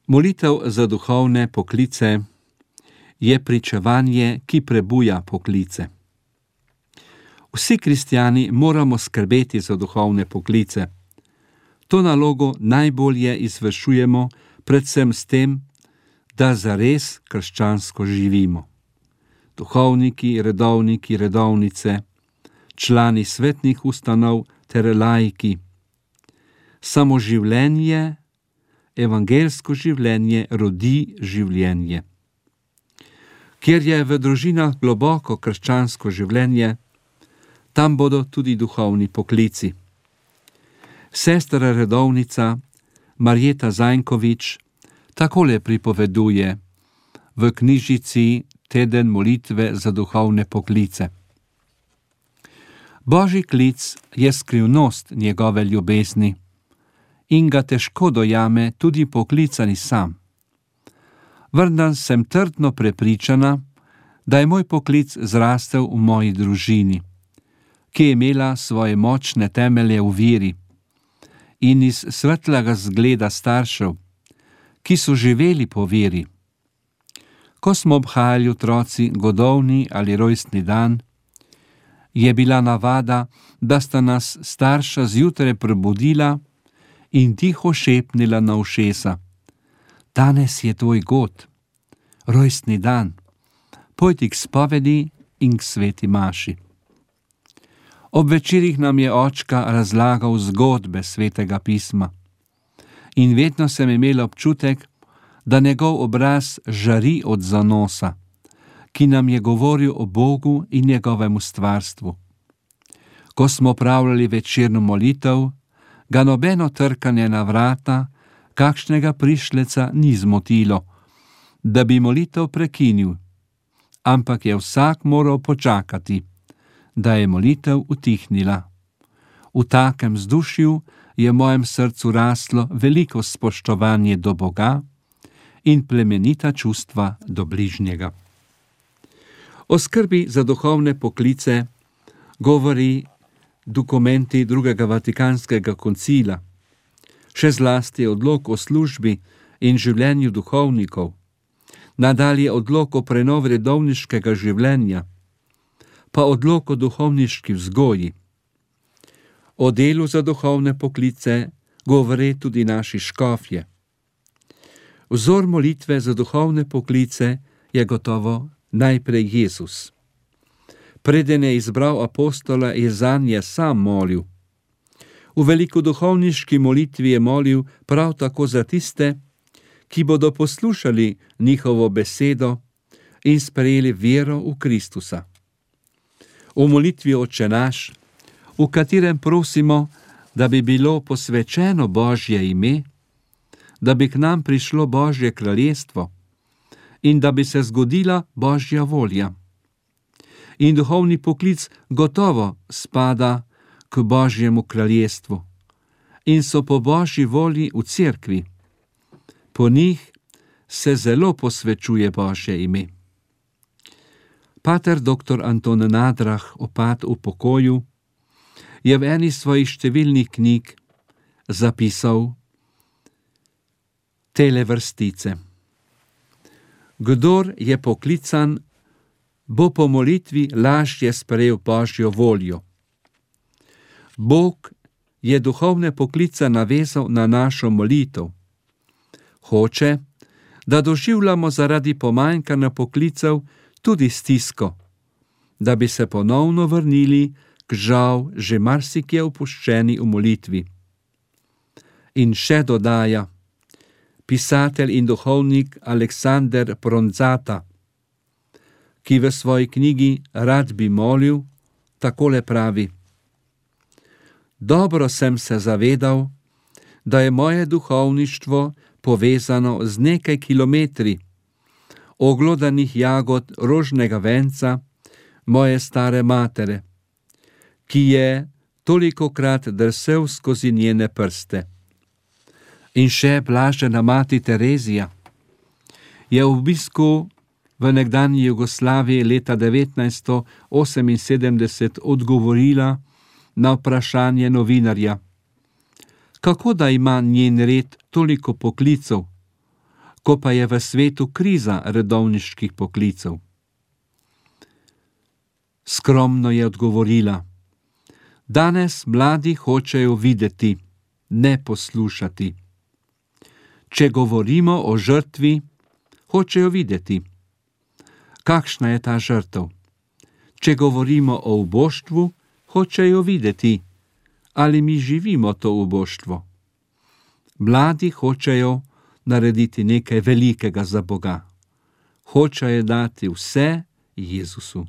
Molitev za duhovne poklice je pričevanje, ki prebuja poklice. Vsi kristjani moramo skrbeti za duhovne poklice. To nalogo najbolje izvršujemo predvsem s tem, da zares krščansko živimo. Duhovniki, redovniki, redovnice, člani svetnih ustanov ter laiki. Samo življenje, evangelsko življenje rodi življenje. Kjer je v družinah globoko krščansko življenje, tam bodo tudi duhovni poklici. Sestra redovnica Marjeta Zajnkovič takole pripoveduje v knjižici Teden molitve za duhovne poklice. Božji klic je skrivnost njegove ljubezni in ga težko dojame tudi poklicani sam. Vendar sem trdno prepričana, da je moj poklic zrastel v moji družini, ki je imela svoje močne temelje v veri in iz svetlega zgleda staršev, ki so živeli po veri. Ko smo obhajali otroci godovni ali rojstni dan, je bila navada, da sta nas starša zjutraj prebudila in tiho šepnila na ušesa: danes je tvoj god, rojstni dan, pojdi k spovedi in k sveti maši. Ob večerih nam je očka razlagal zgodbe svetega pisma in vedno sem imela občutek, da njegov obraz žari od zanosa, ki nam je govoril o Bogu in njegovem ustvarstvu. Ko smo pravljali večerno molitev, ga nobeno trkanje na vrata kakšnega prišleca ni zmotilo, da bi molitev prekinil, ampak je vsak moral počakati, da je molitev utihnila. V takem vzdušju je v mojem srcu raslo veliko spoštovanje do Boga in plemenita čustva do bližnjega. O skrbi za duhovne poklice govori dokumenti Drugega Vatikanskega koncila, še zlasti odlok o službi in življenju duhovnikov, nadalje odlok o prenovi redovniškega življenja, pa odlok o duhovniški vzgoji. O delu za duhovne poklice govore tudi naši škofje. Vzor molitve za duhovne poklice je gotovo najprej Jezus. Preden je izbral apostola, je zanje sam molil. V velikoduhovniški molitvi je molil prav tako za tiste, ki bodo poslušali njihovo besedo in sprejeli vero v Kristusa. V molitvi Oče naš, v katerem prosimo, da bi bilo posvečeno Božje ime, da bi k nam prišlo Božje kraljestvo in da bi se zgodila Božja volja. In duhovni poklic gotovo spada k Božjemu kraljestvu in so po Božji volji v cerkvi. Po njih se zelo posvečuje Božje ime. Pater dr. Anton Nadrah, opat v pokoju, je v eni svojih številnih knjig zapisal tele vrstice. Kdor je poklican, bo po molitvi lažje sprejel Božjo voljo. Bog je duhovne poklice navezal na našo molitev. Hoče, da doživljamo zaradi pomanjkanja poklicev tudi stisko, da bi se ponovno vrnili k žal že marsikje opuščeni v molitvi. In še dodaja pisatelj in duhovnik Aleksander Pronzata, ki v svoji knjigi Rad bi molil, takole pravi: dobro sem se zavedal, da je moje duhovništvo povezano z nekaj kilometri oglodanih jagod rožnega venca moje stare matere, ki je tolikokrat drsel skozi njene prste. In še blažena mati Terezija je v obisku v nekdanji Jugoslaviji leta 1978 odgovorila na vprašanje novinarja, kako da ima njen red toliko poklicev, ko pa je v svetu kriza redovniških poklicev? Skromno je odgovorila: danes mladi hočejo videti, ne poslušati. Če govorimo o žrtvi, hočejo videti. Kakšna je ta žrtev? Če govorimo o uboštvu, hočejo videti, ali mi živimo to uboštvo. Mladi hočejo narediti nekaj velikega za Boga. Hočejo dati vse Jezusu.